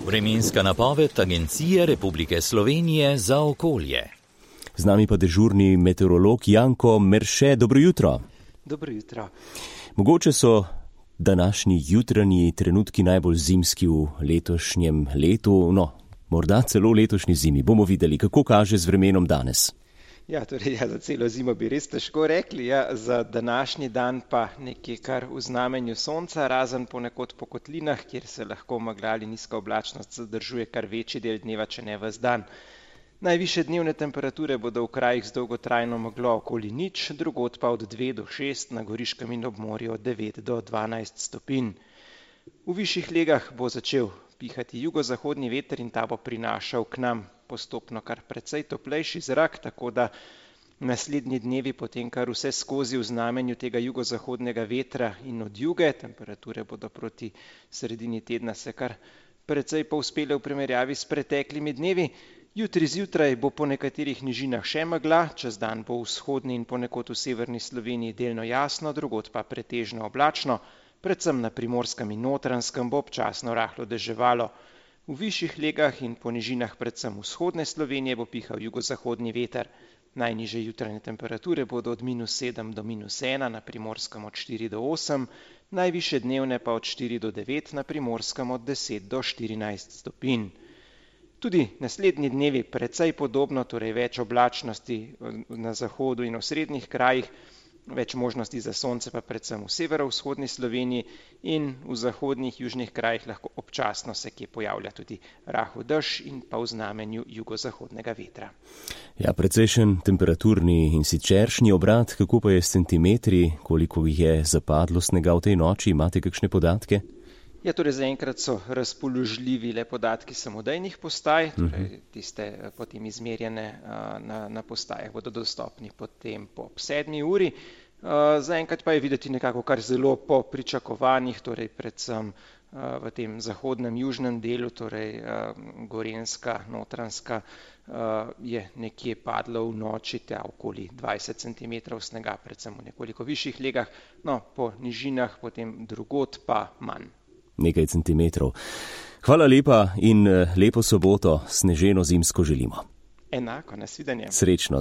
Vremenska napoved Agencije Republike Slovenije za okolje. Z nami pa dežurni meteorolog Janko Merše. Dobro jutro. Dobro jutro. Mogoče so današnji jutranji trenutki najbolj zimski v letošnjem letu, morda celo v letošnji zimi. Bomo videli, kako kaže z vremenom danes. Za celo zimo bi res težko rekli, za današnji dan pa nekje kar v znamenju sonca, razen ponekod po kotlinah, kjer se lahko megla ali nizka oblačnost zadržuje kar večji del dneva, če ne ves dan. Najvišje dnevne temperature bodo v krajih z dolgotrajno meglo okoli 0, drugod pa od 2 do 6, na Goriškem in ob morju od 9 do 12 stopinj. V višjih legah bo začel pihati jugozahodni veter in ta bo prinašal k nam postopno kar precej toplejši zrak, tako da naslednji dnevi potem kar vse skozi v znamenju tega jugozahodnega vetra in od juge. Temperature bodo proti sredini tedna se kar precej povzpele v primerjavi s preteklimi dnevi. Jutri zjutraj bo po nekaterih nižinah še megla, čez dan bo v vzhodni in ponekod v severni Sloveniji delno jasno, drugod pa pretežno oblačno, predvsem na Primorskem in Notranjskem bo občasno rahlo deževalo. V višjih legah in po nižinah predvsem vzhodne Slovenije bo pihal jugozahodni veter. Najnižje jutranje temperature bodo od -7 do -1, na Primorskem od 4 do 8, najvišje dnevne pa od 4 do 9, na Primorskem od 10 do 14 stopinj. Tudi naslednji dnevi precej podobno, torej več oblačnosti na zahodu in v srednjih krajih, več možnosti za sonce pa predvsem v severovzhodni Sloveniji in v zahodnih južnih krajih lahko občasno se kje pojavlja tudi rahel dež in pa v znamenju jugozahodnega vetra. Precejšen temperaturni in siceršnji obrat, kako pa je s centimetri, koliko jih je zapadlo snega v tej noči, imate kakšne podatke? Torej zaenkrat so razpoložljivi le podatki samodejnih postaj, torej tiste potem izmerjene na postajah bodo dostopni potem po 7 uri. Zaenkrat pa je videti nekako kar zelo po pričakovanjih, torej predvsem v tem zahodnem južnem delu, torej Gorenjska, Notranjska, je nekje padlo v noči okoli 20 cm snega, predvsem v nekoliko višjih legah, po nižinah potem drugod pa manj. Nekaj centimetrov. Hvala lepa in lepo soboto, sneženo zimsko želimo. Enako, nasvidenje. Srečno.